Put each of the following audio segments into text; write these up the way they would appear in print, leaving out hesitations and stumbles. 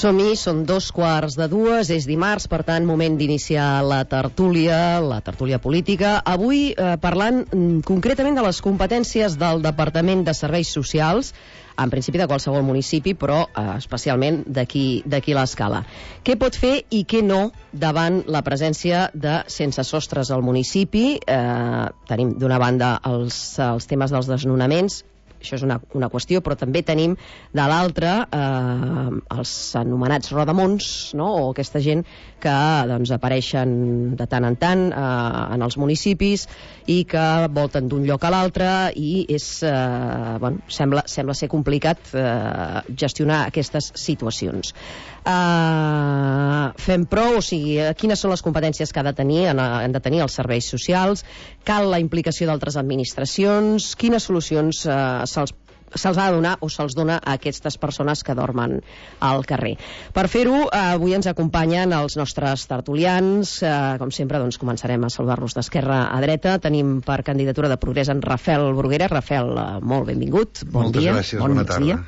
Som-hi, són 2:15, és dimarts, per tant, moment d'iniciar la tertúlia política. Avui parlant concretament de les competències del Departament de Serveis Socials, en principi de qualsevol municipi, però especialment d'aquí l'Escala. Què pot fer i què no davant la presència de sense sostres al municipi? Tenim d'una banda els temes dels desnonaments, això és una qüestió, però també tenim de l'altra els anomenats rodamons, no? O aquesta gent que apareixen de tant en tant en els municipis i que volten d'un lloc a l'altre i sembla ser complicat gestionar aquestes situacions. Fem prou, o sigui, quines són les competències que han de tenir els serveis socials? Cal la implicació d'altres administracions? Quines solucions se'ls ha de donar o se'ls dona a aquestes persones que dormen al carrer? Per fer-ho, avui ens acompanyen els nostres tertulians. Com sempre, començarem a saludar-los d'esquerra a dreta. Tenim per candidatura de Progrés en Rafel Bruguera. Rafel, molt benvingut. Moltes gràcies, bona tarda.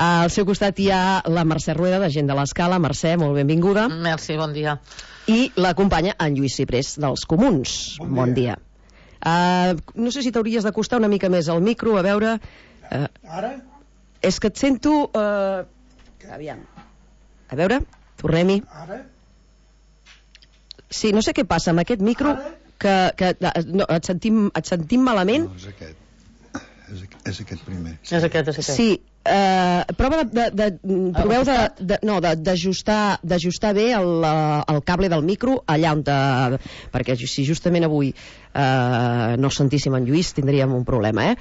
Al seu costat hi ha la Mercè Rueda, de Gent de l'Escala. Mercè, molt benvinguda. Merci, bon dia. I l'acompanya en Lluís Ciprés, dels Comuns. Bon dia. No sé si t'hauries d'acostar una mica més al micro, a veure... Ara? És que et sento... Aviam. A veure, tornem-hi. Ara? Sí, no sé què passa amb aquest micro, que no, et sentim malament. No, és aquest. És aquest primer. És aquest. Sí, prova proveu d'ajustar bé el cable del micro allà on perquè si justament avui no sentíssim en Lluís tindríem un problema,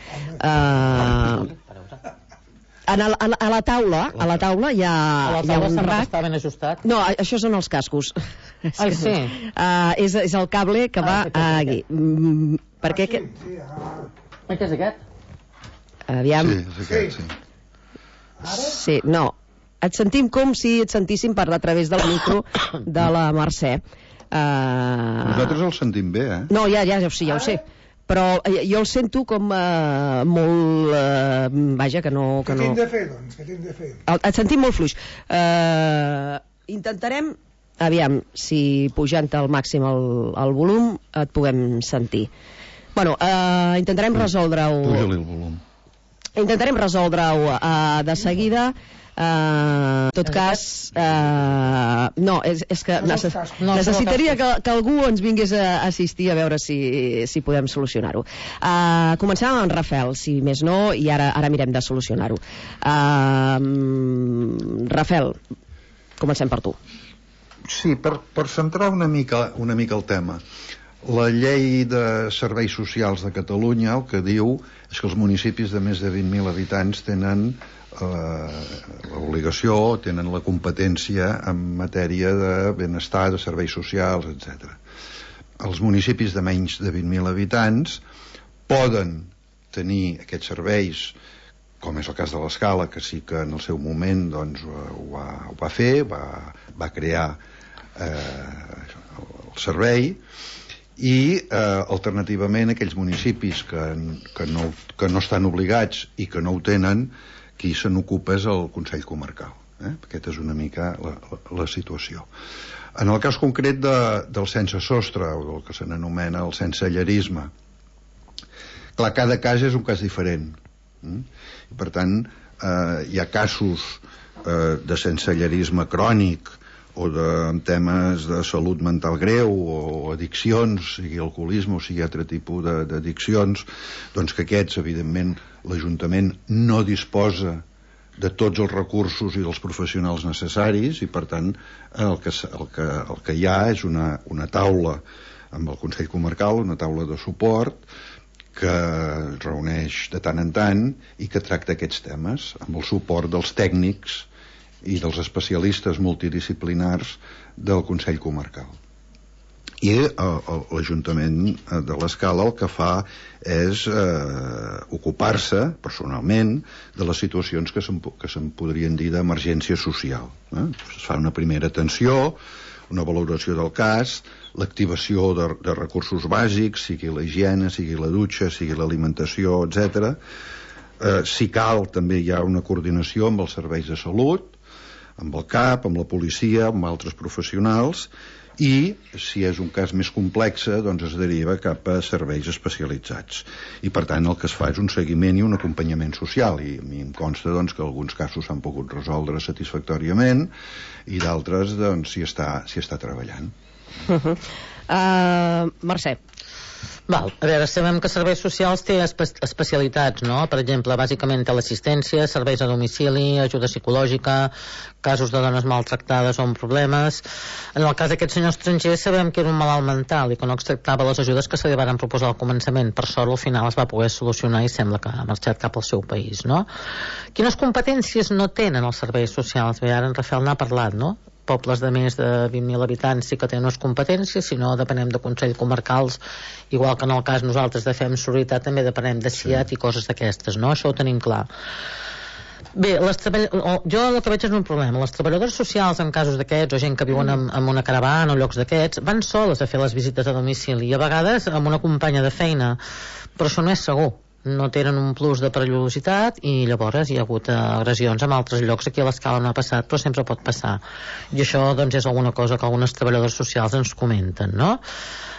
a la taula hi ha un rack. Està ben ajustat. No, això són els cascos. Ai, sí. És el cable que va aquí. Per què? Què és aquest? Aviam. Sí, és aquest, sí. Sí, no. Et sentim com si et sentíssim parlar a través del micro de la Mercè. Nosaltres el sentim bé, No, ja ho sé. Però jo el sento com molt... vaja, que no... Què tinc de fer, doncs? Què tinc de fer? Et sentim molt fluix. Intentarem, aviam, si pujant al màxim el volum et puguem sentir. Bueno, intentarem resoldre-ho... Puja-li el volum. Intentarem resoldre-ho de seguida. En tot cas, no, és que necessitaria que algú ens vingués a assistir a veure si podem solucionar-ho. Comencem amb en Rafel, si més no, i ara mirem de solucionar-ho. Rafel, comencem per tu. Sí, per centrar una mica el tema. La llei de serveis socials de Catalunya el que diu és que els municipis de més de 20.000 habitants tenen l'obligació, tenen la competència en matèria de benestar, de serveis socials, etc. Els municipis de menys de 20.000 habitants poden tenir aquests serveis, com és el cas de l'Escala, que sí que en el seu moment ho va fer, va crear el servei, i alternativament aquells municipis que no estan obligats i que no ho tenen, qui se n'ocupa és el Consell Comarcal. Aquesta és una mica la situació. En el cas concret del sense sostre, o del que se n'anomena el sensellarisme, clar, cada cas és un cas diferent. I per tant, hi ha casos de sensellarisme crònic o en temes de salut mental greu o addiccions, sigui alcoholisme o sigui altre tipus d'addiccions, doncs que aquests, evidentment, l'Ajuntament no disposa de tots els recursos i dels professionals necessaris i, per tant, el que hi ha és una taula amb el Consell Comarcal, una taula de suport que es reuneix de tant en tant i que tracta aquests temes amb el suport dels tècnics i dels especialistes multidisciplinars del Consell Comarcal. I l'Ajuntament de l'Escala el que fa és ocupar-se personalment de les situacions que se'n podrien dir d'emergència social. Es fa una primera atenció, una valoració del cas, l'activació de recursos bàsics, sigui la higiene, sigui la dutxa, sigui l'alimentació, etc. Si cal, també hi ha una coordinació amb els serveis de salut, amb el CAP, amb la policia, amb altres professionals, i si és un cas més complex doncs es deriva cap a serveis especialitzats, i per tant el que es fa és un seguiment i un acompanyament social, i a mi em consta doncs, que alguns casos s'han pogut resoldre satisfactòriament i d'altres doncs, s'hi està treballant. Mercè. Val. A veure, sabem que serveis socials té especialitats, no? Per exemple, bàsicament té l'assistència, serveis a domicili, ajuda psicològica, casos de dones maltractades o amb problemes. En el cas d'aquest senyor estranger sabem que era un malalt mental i que no acceptava les ajudes que se li van proposar al començament. Per sort, al final es va poder solucionar i sembla que ha marxat cap al seu país, no? Quines competències no tenen els serveis socials? Bé, ara en Rafael n'ha parlat, no? Pobles de més de 20.000 habitants sí que tenen unes competències, si no depenem de consells comarcals, igual que en el cas nosaltres de FEM Sororitat també depenem de CIAT i coses d'aquestes, no? Això ho tenim clar. Bé, jo el que veig és un problema. Les treballadores socials en casos d'aquests, o gent que viuen en una caravana o llocs d'aquests, van soles a fer les visites a domicili i a vegades amb una companya de feina, però això no és segur. No tenen un plus de perillositat i llavors hi ha hagut agressions en altres llocs. Aquí a l'Escala no ha passat, però sempre pot passar, i això doncs és alguna cosa que algunes treballadores socials ens comenten, no?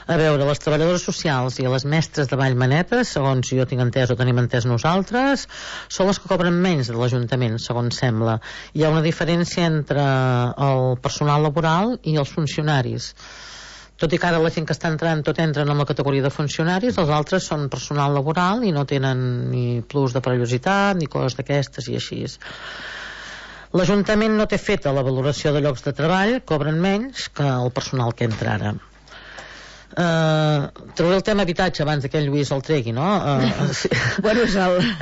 A veure, les treballadores socials i les mestres de Vallmanetes, segons jo tinc entès o tenim entès nosaltres, són les que cobren menys de l'Ajuntament, segons sembla. Hi ha una diferència entre el personal laboral i els funcionaris. Tot i que ara la gent que està entrant tot entren en la categoria de funcionaris, els altres són personal laboral i no tenen ni plus de perillositat ni coses d'aquestes i així. L'Ajuntament no té feta la valoració de llocs de treball, cobren menys que el personal que entra ara. Trauré el tema habitatge abans que en Lluís el tregui, no? Bueno,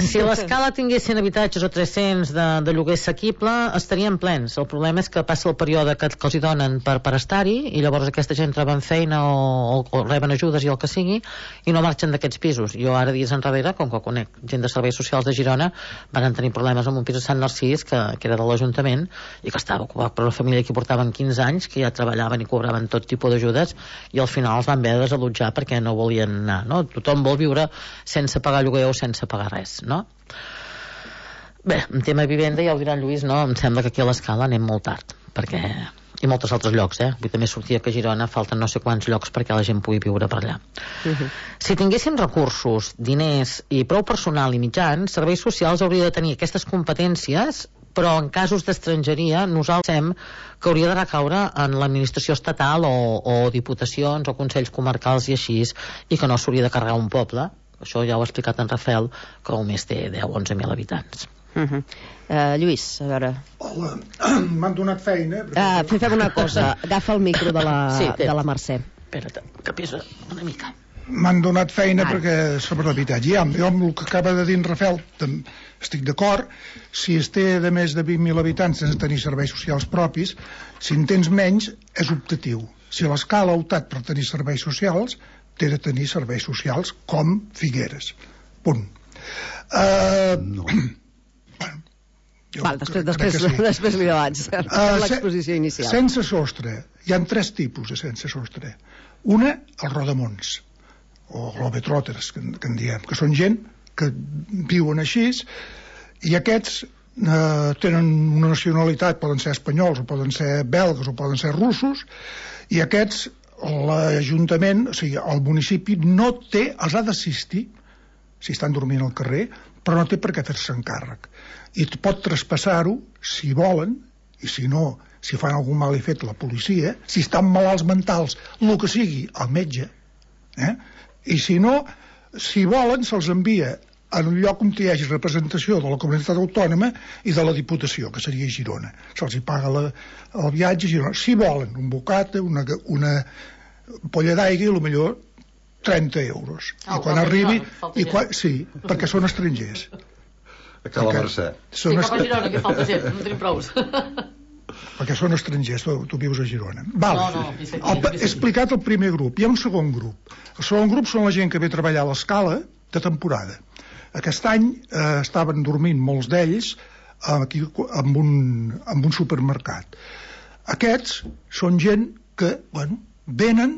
si l'Escala tinguessin habitatges o 300 de lloguer assequible estarien plens. El problema és que passa el període que els hi donen per estar-hi i llavors aquesta gent troben feina o reben ajudes i el que sigui i no marxen d'aquests pisos. Jo ara dies enrere, com que conec gent de serveis socials de Girona, van tenir problemes amb un pis a Sant Narcís que era de l'Ajuntament i que estava ocupat per una família que portaven 15 anys, que ja treballaven i cobraven tot tipus d'ajudes, i al final els van haver de desallotjar perquè no volien anar, no? Tothom vol viure sense pagar lloguer o sense pagar res, no? Bé, en tema de vivenda ja ho dirà en Lluís, no? Em sembla que aquí a l'Escala anem molt tard, perquè i molts altres llocs, vull també sortir que a Girona falten no sé quants llocs perquè la gent pugui viure per allà. Si tinguéssim recursos, diners i prou personal i mitjans, serveis socials hauria de tenir aquestes competències, però en casos d'estrangeria nosaltres pensem que hauria de recaure en l'administració estatal o diputacions o consells comarcals i així, i que no s'hauria de carregar un poble. Això ja ho ha explicat en Rafael, que només té 10 o 11.000 habitants. Lluís, a veure. Hola, m'han donat feina. Fem una cosa, agafa el micro de la Mercè. Espera't, que pesa una mica. M'han donat feina perquè sobre l'habitatge. Jo amb el que acaba de dir en Rafael estic d'acord. Si es té de més de 20.000 habitants sense tenir serveis socials propis, si en tens menys és optatiu. Si l'Escala ha optat per tenir serveis socials, té de tenir serveis socials com Figueres. Punt. No. Després li abans l'exposició inicial. Sense sostre. Hi ha 3 tipus de sense sostre. Una, els rodamons o globetrotters, que en diem, que són gent que viuen així, i aquests tenen una nacionalitat, poden ser espanyols o poden ser belgues o poden ser russos, i aquests l'Ajuntament, o sigui, el municipi no té, els ha d'assistir si estan dormint al carrer, però no té per què fer-se'n càrrec, i pot traspassar-ho si volen, i si no, si fan algun mal i fet la policia, si estan malalts mentals, el que sigui, al metge, i si no, si volen se'ls envia en un lloc on hi hagi representació de la comunitat autònoma i de la Diputació, que seria Girona. Se'ls hi paga el viatge a Girona. Si volen un bocata, una polla d'aigua, i millor 30 euros. I quan arribi... Sí, perquè són estrangers. A la Mercè. Sí, cap a Girona, que falta gent, no tenim prous. Perquè són estrangers, tu vius a Girona. Val. No, he explicat el primer grup. Hi ha un segon grup. El segon grup són la gent que ve a treballar a l'Escala de temporada. Aquest any estaven dormint molts d'ells aquí amb un supermercat. Aquests són gent que, venen,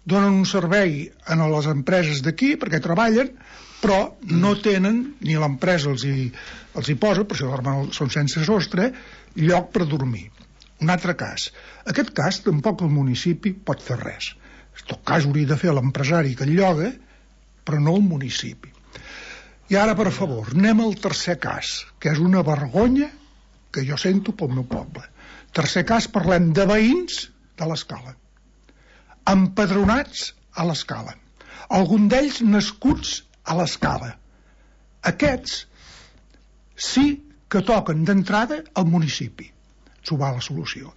donen un servei a les empreses d'aquí perquè treballen, però no tenen, ni l'empresa els hi posa, per això són sense sostre, lloc per dormir. Un altre cas. Aquest cas tampoc el municipi pot fer res. En tot cas hauria de fer l'empresari que el lloga, però no el municipi. I ara, per favor, anem al tercer cas, que és una vergonya que jo sento pel meu poble. Tercer cas, parlem de veïns de l'Escala, empadronats a l'Escala, algun d'ells nascuts a l'Escala. Aquests sí que toquen d'entrada al municipi. S'ho va la solució.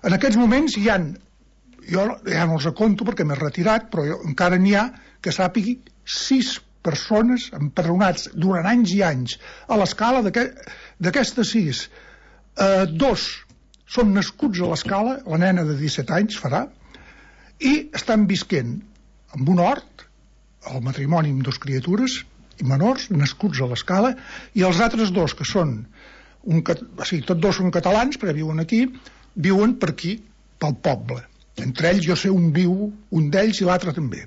En aquests moments jo ja no els conto perquè m'he retirat, però encara n'hi ha que sàpigui 6 persones empadronats durant anys i anys a l'Escala. D'aquestes 6, 2 són nascuts a l'Escala, la nena de 17 anys farà, i estan visquent en un hort, el matrimoni amb 2 criatures i menors, nascuts a l'Escala, i els altres 2, que són tots 2 són catalans, però viuen aquí, viuen per aquí, pel poble. Entre ells jo sé un d'ells i l'altre també.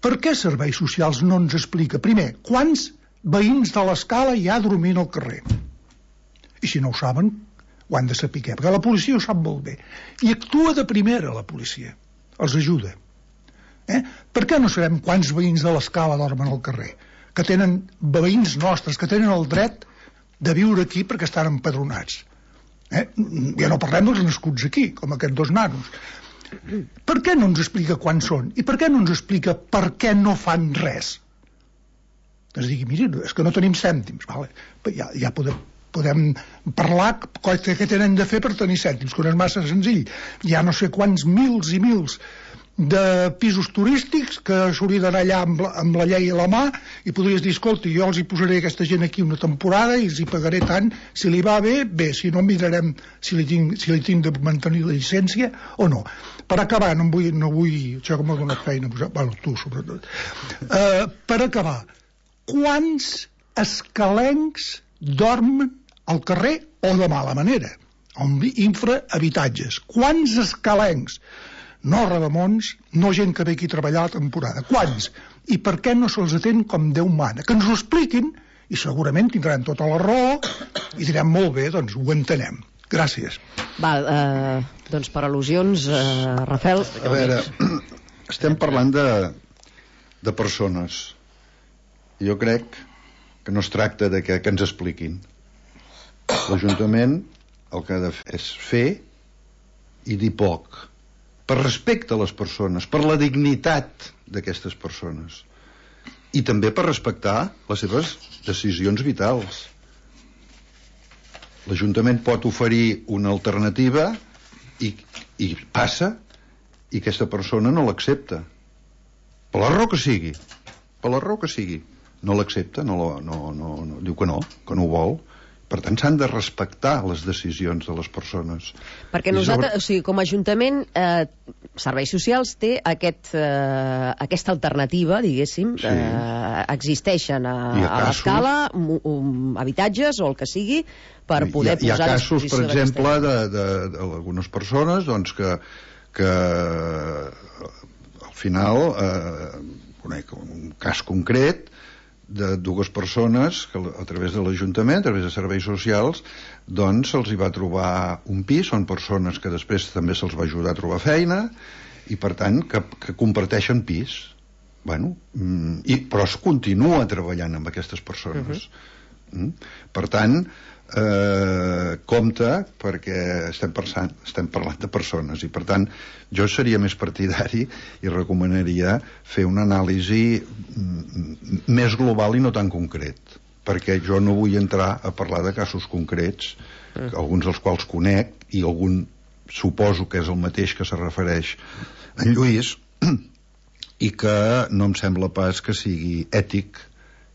Per què Serveis Socials no ens explica, primer, quants veïns de l'Escala hi ha dormint al carrer? I si no ho saben, ho han de saber, perquè la policia ho sap molt bé. I actua de primera, la policia. Els ajuda. Per què no sabem quants veïns de l'Escala dormen al carrer? Que tenen veïns nostres, que tenen el dret de viure aquí perquè estan empadronats. Ja no parlem dels nascuts aquí, com aquests 2 nanos. Per què no ens explica quants són? I per què no ens explica per què no fan res? Es digui, miri, és que no tenim cèntims. Vale. Ja podem parlar què tenen de fer per tenir cèntims, que no és massa senzill. Hi ha no sé quants mils i mils de pisos turístics que s'hauria d'anar allà amb la llei a la mà i podries dir, escolta, jo els hi posaré aquesta gent aquí una temporada i els hi pagaré tant, si li va bé, si no mirarem si li tinc de mantenir la llicència o no. Per acabar, no vull això que m'ha donat feina, bueno, tu sobretot, per acabar, quants escalencs dormen al carrer o de mala manera, amb infrahabitatges? Quants escalencs? No rodamons, no gent que ve aquí a treballar la temporada. Quants? I per què no se'ls atén com Déu mana? Que ens ho expliquin i segurament tindran tota la raó i direm molt bé, doncs ho entenem. Gràcies. Val, doncs per al·lusions, Rafael. A veure, estem parlant de persones. Jo crec que no es tracta de que ens expliquin. L'Ajuntament el que ha de fer és fer i dir poc, per respecte a les persones, per la dignitat d'aquestes persones i també per respectar les seves decisions vitals. L'Ajuntament pot oferir una alternativa i passa i aquesta persona no l'accepta per la raó que sigui, no l'accepta, diu que no ho vol. Per tant, s'han de respectar les decisions de les persones. Perquè nosaltres, o sigui, com a Ajuntament, Serveis Socials té aquesta alternativa, diguéssim, sí. Existeixen a l'Escala, habitatges o el que sigui, per poder posar a disposició. Hi ha casos, per exemple, d'algunes persones doncs, que al final, conec un cas concret, de 2 persones que a través de l'Ajuntament, a través de Serveis Socials, doncs se'ls hi va trobar un pis. Són persones que després també se'ls va ajudar a trobar feina i per tant que comparteixen pis. Però es continua treballant amb aquestes persones. Per tant, compte, perquè estem parlant de persones i per tant jo seria més partidari i recomanaria fer una anàlisi més global i no tan concret, perquè jo no vull entrar a parlar de casos concrets, alguns dels quals conec i algun suposo que és el mateix que se refereix en Lluís, i que no em sembla pas que sigui ètic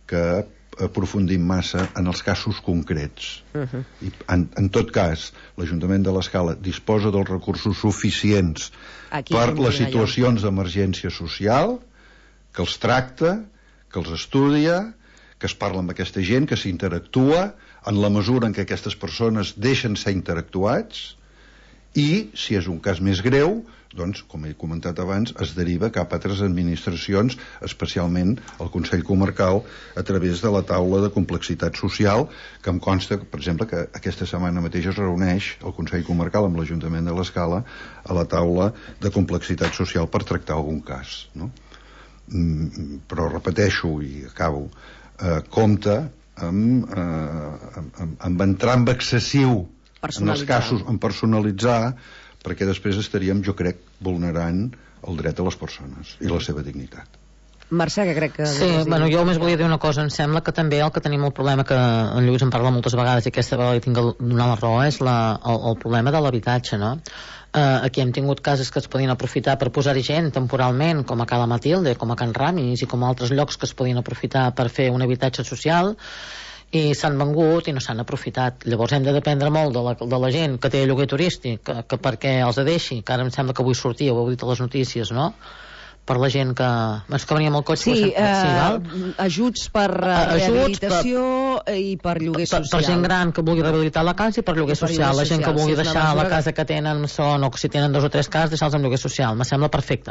que aprofundim massa en els casos concrets. I en tot cas, l'Ajuntament de l'Escala disposa dels recursos suficients per les situacions d'emergència social, que els tracta, que els estudia, que es parla amb aquesta gent, que s'interactua en la mesura en què aquestes persones deixen ser interactuats I, si és un cas més greu, doncs, com he comentat abans, es deriva cap a altres administracions, especialment el Consell Comarcal, a través de la taula de complexitat social, que em consta, per exemple, que aquesta setmana mateix es reuneix el Consell Comarcal amb l'Ajuntament de l'Escala a la taula de complexitat social per tractar algun cas, no? Però repeteixo i acabo, compte amb entrar en excessiu en els casos, en personalitzar, perquè després estaríem, jo crec, vulnerant el dret de les persones i la seva dignitat. Mercè, que crec que... Sí, bueno, jo només volia dir una cosa. Em sembla que també el que tenim el problema, que en Lluís en parla moltes vegades i aquesta vegada li tinc de donar la raó, és el problema de l'habitatge, no? Aquí hem tingut cases que es podien aprofitar per posar-hi gent temporalment, com a Cala Matilde, com a Can Ramis i com a altres llocs que es podien aprofitar per fer un habitatge social, i s'han vengut i no s'han aprofitat. Llavors hem de dependre molt de la gent que té lloguer turístic, que perquè els deixi, que ara em sembla que avui sortia, ho heu dit a les notícies, no? Per la gent que... És que venia amb el cotxe... Sí, ajuts per rehabilitació i per lloguer social. Per gent gran que vulgui rehabilitar la casa i per lloguer social. La gent que vulgui deixar la casa que tenen son, o que si tenen 2 o 3 cases, deixar-los amb lloguer social. Me sembla perfecte.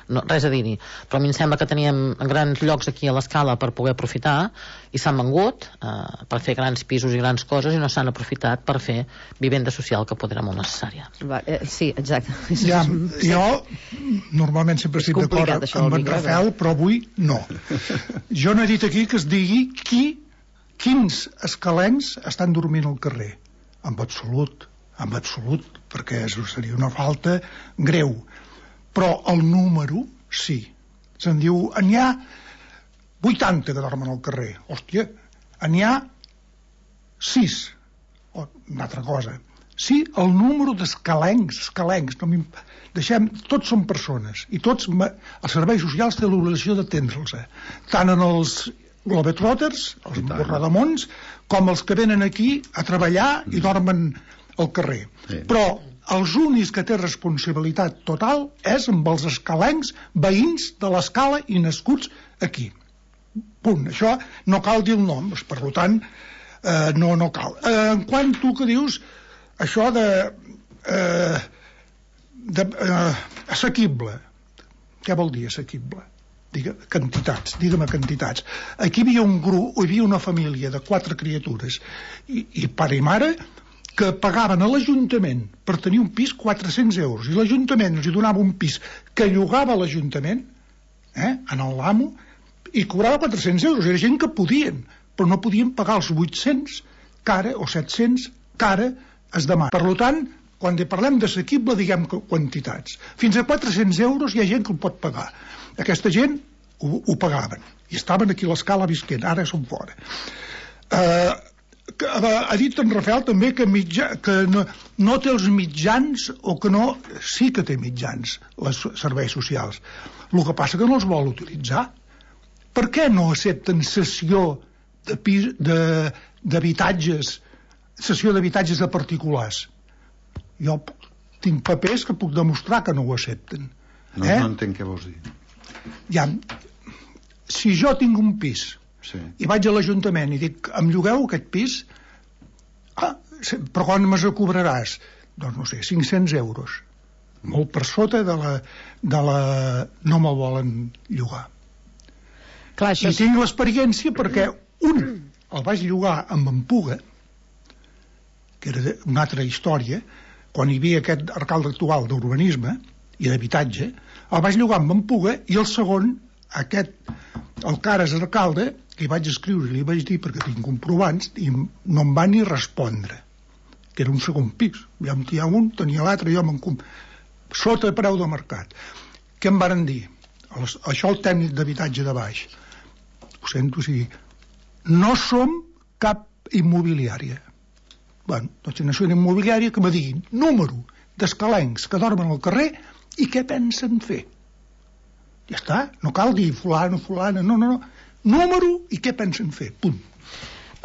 No, res a dir-hi. Però a mi em sembla que teníem grans llocs aquí a l'Escala per poder aprofitar i s'han vengut per fer grans pisos i grans coses i no s'han aprofitat per fer vivenda social, que pot era molt necessària. Sí, exacte. Ja, jo normalment sempre estic d'acord amb en Rafael, però avui no. Jo no he dit aquí que es digui quins escalencs estan dormint al carrer. En absolut, perquè seria una falta greu. Però el número, sí. Se'n diu, n'hi ha 80 que dormen al carrer. Hòstia, n'hi ha 6. Una altra cosa. Sí, el número d'escalencs, tots són persones i tots, els serveis socials tenen l'obligació d'atendre'ls, tant en els globetrotters, els rodamons, com els que venen aquí a treballar i dormen al carrer. Però els únics que té responsabilitat total és amb els escalencs veïns de l'Escala i nascuts aquí. Punt. Això no cal dir el nom, per tant no cal. En quant tu que dius això assequible, què vol dir assequible? Digue'm quantitats. Aquí hi havia una família de 4 criatures i pare i mare que pagaven a l'Ajuntament per tenir un pis 400 euros i l'Ajuntament els donava un pis que llogava l'Ajuntament en l'amo i cobrava 400 euros. Era gent que podien, però no podien pagar els 800 que ara, o 700 que ara es demana. Per tant, quan parlem d'assequible, diguem quantitats. Fins a 400 euros hi ha gent que ho pot pagar. Aquesta gent ho pagaven i estaven aquí a l'Escala visquent, ara són fora. Ha dit en Rafael també que no té els mitjans, o que no, sí que té mitjans, els serveis socials. El que passa que no els vol utilitzar. Per què no accepten cessió d'habitatges, cessió d'habitatges de particulars? Jo tinc papers que puc demostrar que no ho accepten. No entenc què vols dir. Ja, si jo tinc un pis i vaig a l'Ajuntament i dic, em llogueu aquest pis? Però quan me'ls cobraràs? Doncs no sé, 500 euros. Molt per sota de la... no me'l volen llogar. Clar, I tinc l'experiència perquè el vaig llogar amb en Puga, que era una altra història, quan hi havia aquest alcalde actual d'urbanisme i d'habitatge, el vaig llogar amb en Puga, i el segon, el Cares alcalde, li vaig escriure i li vaig dir, perquè tinc comprovants, i no em va ni respondre, que era un segon pis. Ja em tenia un, tenia l'altre, sota preu de mercat. Què em varen dir? Això el tècnic d'habitatge de baix. Ho sento, sí. No som cap immobiliària. Bueno, doncs no són immobiliària, que me diguin número d'escalencs que dormen al carrer i què pensen fer. Ja està, no cal dir fulano, no. Número i què pensen fer, punt.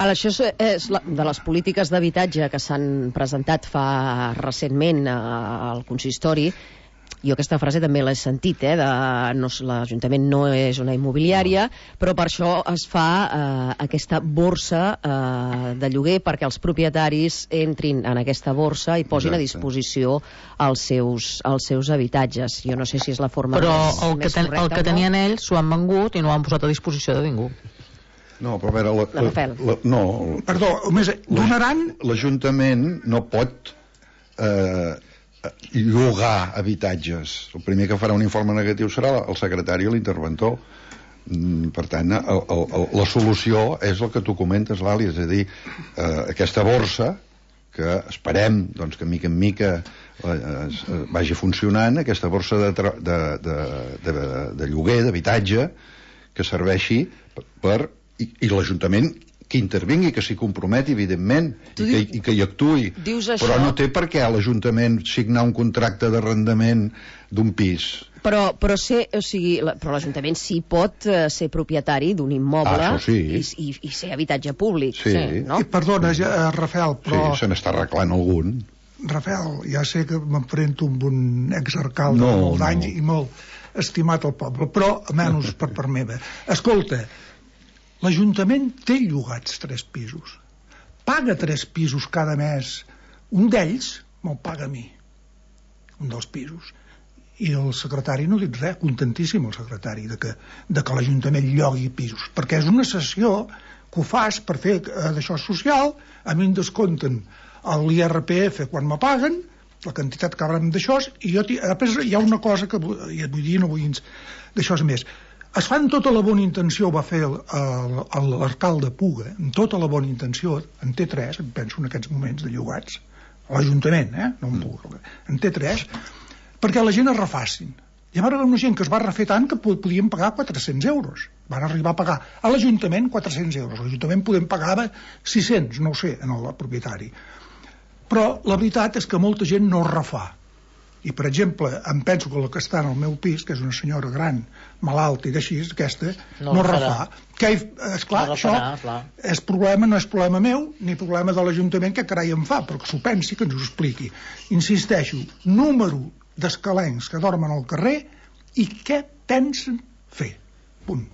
Això és de les polítiques d'habitatge que s'han presentat fa recentment al consistori. Jo aquesta frase també l'he sentit, l'Ajuntament no és una immobiliària, però per això es fa aquesta borsa de lloguer perquè els propietaris entrin en aquesta borsa i posin a disposició els seus habitatges. Jo no sé si és la forma però més correcta. El que tenien ells s'ho han vengut i no ho han posat a disposició de ningú. No, però a veure... Perdó, donaran... L'Ajuntament no pot llogar habitatges. El primer que farà un informe negatiu serà el secretari o l'interventor. Per tant, la solució és el que tu comentes, Lali, és a dir, aquesta borsa, que esperem doncs, que mica en mica vagi funcionant, aquesta borsa de lloguer, d'habitatge, que serveixi per... I l'Ajuntament que intervingui, que s'hi comprometi, evidentment, i que hi actuï. Però no té per què l'Ajuntament signar un contracte d'arrendament d'un pis. Però l'Ajuntament sí pot ser propietari d'un immoble i ser habitatge públic. Sí. No? I perdona, Rafael, però... Sí, se n'està arreglant algun. Rafael, ja sé que m'emprento amb un exalcalde de molt d'anys i molt estimat al poble, però almenys per part meva. Escolta, l'Ajuntament té llogats 3 pisos. Paga 3 pisos cada mes. Un d'ells me'l paga a mi. Un dels pisos. I el secretari no ha dit res, contentíssim el secretari de que l'Ajuntament llogui pisos, perquè és una cessió que ho fas per fer d'això social, a mi em descompten l'IRPF quan me paguen, la quantitat que haurem d'això, i després hi ha una cosa que vull dir, no vull d'això més. Es fa amb tota la bona intenció, va fer l'alcalde Puga, amb tota la bona intenció, en té 3, em penso en aquests moments de llogats, a l'Ajuntament, no en Puga, en té 3, perquè la gent es refacin. Hi va haver una gent que es va refer tant que podien pagar 400 euros. Van arribar a pagar a l'Ajuntament 400 euros. L'Ajuntament pagava 600, no ho sé, en el propietari. Però la veritat és que molta gent no es refà. I, per exemple, em penso que la que està en el meu pis, que és una senyora gran, malalta i d'així, aquesta, no refà. Que, esclar, no això és problema, no és problema meu, ni problema de l'Ajuntament, que carai em fa, però que s'ho pensi, que ens ho expliqui. Insisteixo, número d'escalencs que dormen al carrer i què pensen fer. Punt.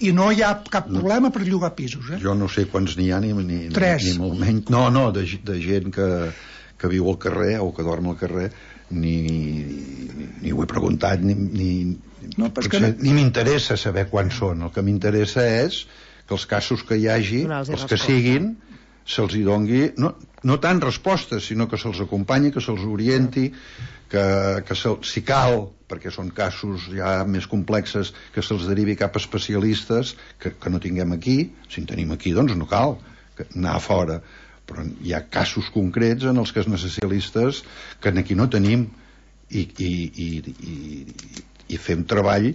I no hi ha cap problema per llogar pisos. Jo no sé quants n'hi ha, ni molt menys. No, de gent que viu al carrer o que dorm al carrer, ni ho he preguntat, ni m'interessa saber quants són. El que m'interessa és que els casos que hi hagi, els que siguin, se'ls hi dongui no tant respostes, sinó que se'ls acompanyi, que se'ls orienti, que si cal, perquè són casos ja més complexes, que se'ls derivi cap a especialistes que no tinguem aquí. Si en tenim aquí, doncs no cal anar a fora, però hi ha casos concrets en els que els especialistes que aquí no tenim i fem treball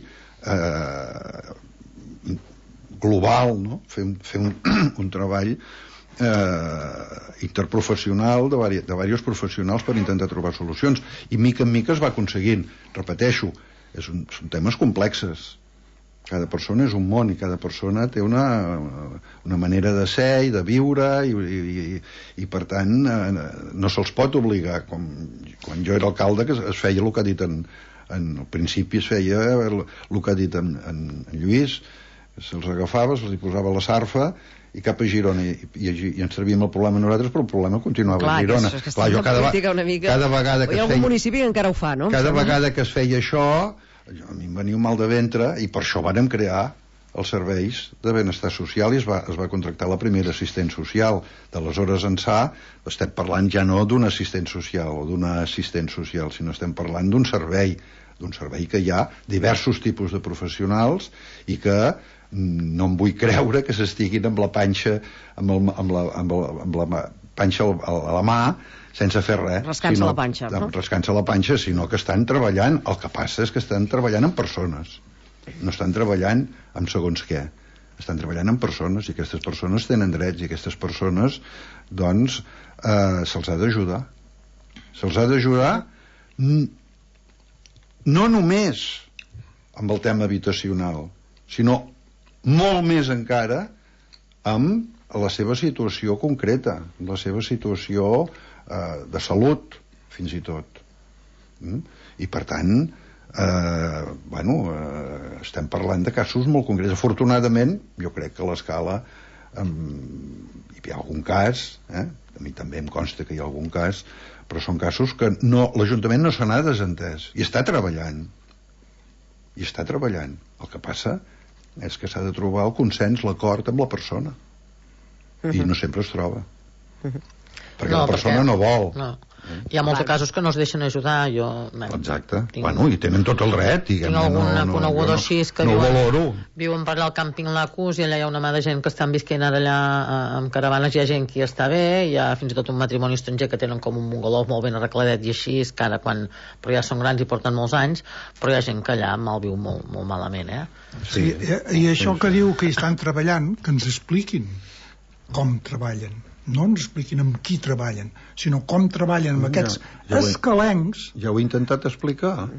global, no? Fem un treball interprofessional de diversos professionals per intentar trobar solucions, i mica en mica es va aconseguint. Repeteixo, són temes complexes, cada persona és un món i cada persona té una manera de ser i de viure i per tant no se'ls pot obligar. Quan jo era alcalde, que es feia el que ha dit al principi, es feia el que ha dit en Lluís, se'ls agafava, se'ls hi posava la sarfa i cap a Girona, i ens servíem el problema nosaltres, però el problema continuava a Girona. Clar, cada vegada que hi ha algun municipi que encara ho fa, no? Cada vegada que es feia això, a mi em venia un mal de ventre, i per això vàrem crear els serveis de benestar social i es va contractar la primera assistent social. D'aleshores ençà estem parlant ja no d'un assistent social o d'una assistent social, sinó estem parlant d'un servei que hi ha diversos tipus de professionals i que no em vull creure que s'estiguin amb la panxa amb la panxa a la mà sense fer res, rascant-se la panxa, no? Rascant-se la panxa, sinó que estan treballant. El que passa és que estan treballant amb persones, no estan treballant amb segons què, estan treballant amb persones, i aquestes persones tenen drets, i aquestes persones doncs se'ls ha d'ajudar no només amb el tema habitacional, sinó molt més encara amb la seva situació concreta, la seva situació de salut, fins i tot. I per tant estem parlant de casos molt concrets. Afortunadament jo crec que a l'escala hi ha algun cas, a mi també em consta que hi ha algun cas, però són casos que l'Ajuntament no se n'ha desentès i està treballant. El que passa és que s'ha de trobar el consens, l'acord amb la persona, i no sempre es troba, perquè la persona no vol. Hi ha molts casos que no es deixen ajudar. Exacte. I tenen tot el dret. Tinc alguna coneguda així que viuen per allà al càmping Lacus, i allà hi ha una mà de gent que estan visquent allà amb caravanes. Hi ha gent que ja està bé, hi ha fins i tot un matrimoni estranger que tenen com un bungalow molt ben arregladet i així, però ja són grans i porten molts anys, però hi ha gent que allà malviu molt, molt malament, Sí, i això que diu que hi estan treballant, que ens expliquin com treballen. No ens expliquin amb qui treballen, sinó com treballen amb aquests escalencs. Ja ho he intentat explicar.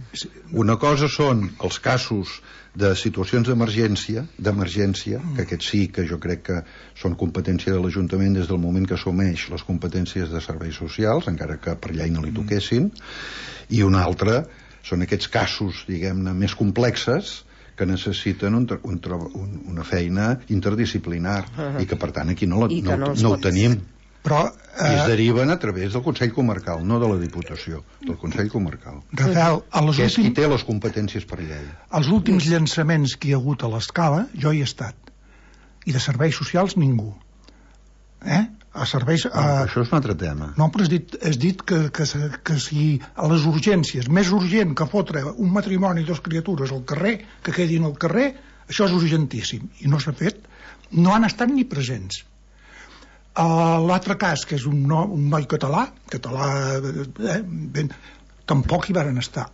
Una cosa són els casos de situacions d'emergència, que aquests sí que jo crec que són competència de l'Ajuntament des del moment que assumeix les competències de serveis socials, encara que per llei no li toquessin, i una altra són aquests casos, diguem-ne, més complexes, que necessiten una feina interdisciplinar i que per tant aquí no ho tenim. I es deriven a través del Consell Comarcal, no de la Diputació, del Consell Comarcal, que és qui té les competències per llei. Els últims llançaments que hi ha hagut a l'escala jo hi he estat, i de serveis socials ningú. Això és un altre tema. No, però has dit que si a les urgències, més urgent que fotre un matrimoni i 2 criatures al carrer, que quedin al carrer, això és urgentíssim, i no s'ha fet, no han estat ni presents. L'altre cas, que és un noi català, tampoc hi varen estar.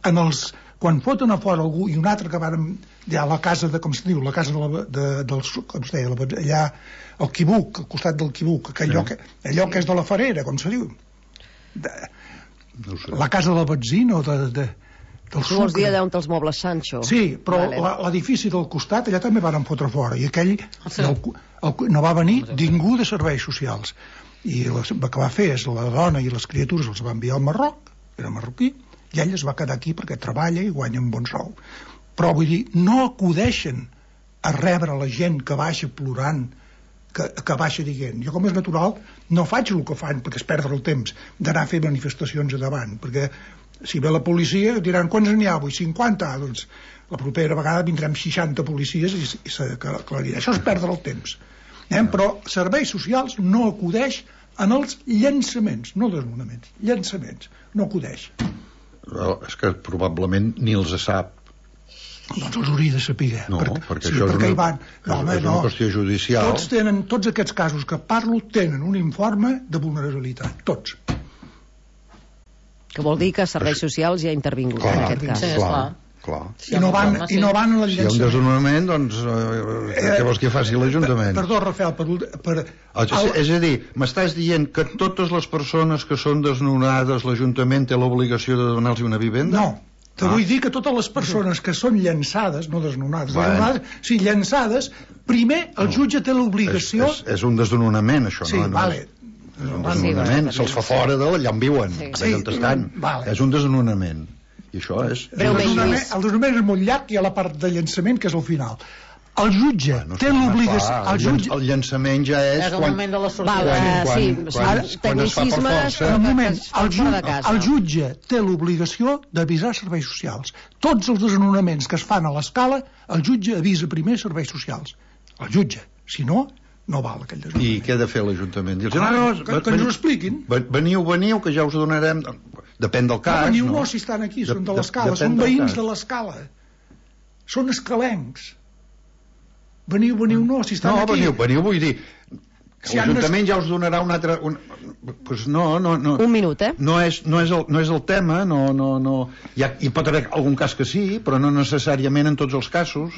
Quan foten a fora algú i un altre que varen a la casa de, com se diu, la casa com es deia, allà al Quibuc, al costat del Quibuc, allò que és de la Ferrera, com se diu, la casa del Batzino, del Tu vols dir allà on els mobles Sancho? Sí, però l'edifici del costat allà també van fotre fora, i aquell no va venir ningú de serveis socials, i el que va fer és la dona i les criatures els va enviar al Marroc, era marroquí, i ell es va quedar aquí perquè treballa i guanya un bon sou. Però vull dir, no acudeixen a rebre la gent que baixa plorant, que baixa dient. Jo, com és natural, no faig el que fan, perquè és perdre el temps d'anar a fer manifestacions a davant, perquè si ve la policia diran quants n'hi ha avui? 50? Doncs la propera vegada vindrem 60 policies i s'aclarirà. Això és perdre el temps. Però serveis socials no acudeix en els llançaments, no desnonaments, llançaments, no acudeix. És que probablement ni els sap. Doncs els hauria de saber. No, perquè això és una qüestió judicial. Tots aquests casos que parlo tenen un informe de vulnerabilitat, tots. Que vol dir que serveis socials ja ha intervingut en aquest cas. Clar. I no van a la llançament. Si hi ha un desnonament, doncs què vols que faci l'Ajuntament? Perdó, Rafael, és a dir, m'estàs dient que totes les persones que són desnonades l'Ajuntament té l'obligació de donar-los una vivenda? No, te vull dir que totes les persones que són llançades, no desnonades, sí, llançades, primer el jutge té l'obligació... És un desnonament, això, no? Sí, vale. És un desnonament, se'ls fa fora d'allà on viuen, d'allà on estan. És un desnonament. I això és... El desnonament és molt llarg, i a la part de llançament, que és el final. El jutge té l'obligació... El llançament ja és... És el moment de la sortida. Tecnicismes... Un moment, el jutge té l'obligació d'avisar serveis socials. Tots els desnonaments que es fan a l'escala, el jutge avisa primer serveis socials. El jutge. Si no, no val aquell desnonament. I què ha de fer l'Ajuntament? Que ens ho expliquin. Veniu, que ja us donarem... Depèn del cas, veniu no, si estan aquí, són de l'escala, són veïns de l'escala. Són escalencs. Veniu no, si estan aquí. No, veniu, vull dir... L'Ajuntament ja us donarà un altre... Pues no. Un minut, No és el tema, no. Hi pot haver algun cas que sí, però no necessàriament en tots els casos.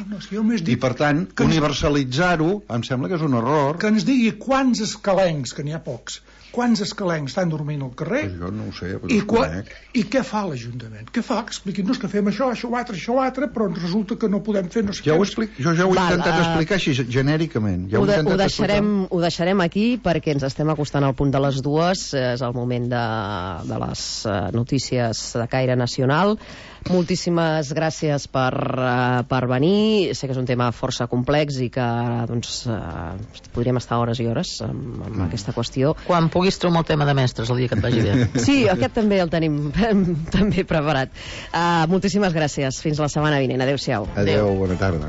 I per tant, universalitzar-ho em sembla que és un error. Que ens digui quants escalencs, que n'hi ha pocs, quants escalencs estan dormint al carrer jo no ho sé, i què fa l'Ajuntament? Què fa? Expliqui'm-nos que fem això altre, però resulta que no podem fer no sé jo ja ho he intentat explicar així genèricament. Ho deixarem aquí perquè ens estem acostant al punt de les 2, és el moment de les notícies de caire nacional. Moltíssimes gràcies per venir. Sé que és un tema força complex i que podríem estar hores i hores amb aquesta qüestió. Quan puguis trobar el tema de mestres el dia que et vagi bé. Sí, aquest també el tenim també preparat. Moltíssimes gràcies. Fins la setmana vinent. Adéu-siau. Adéu, bona tarda.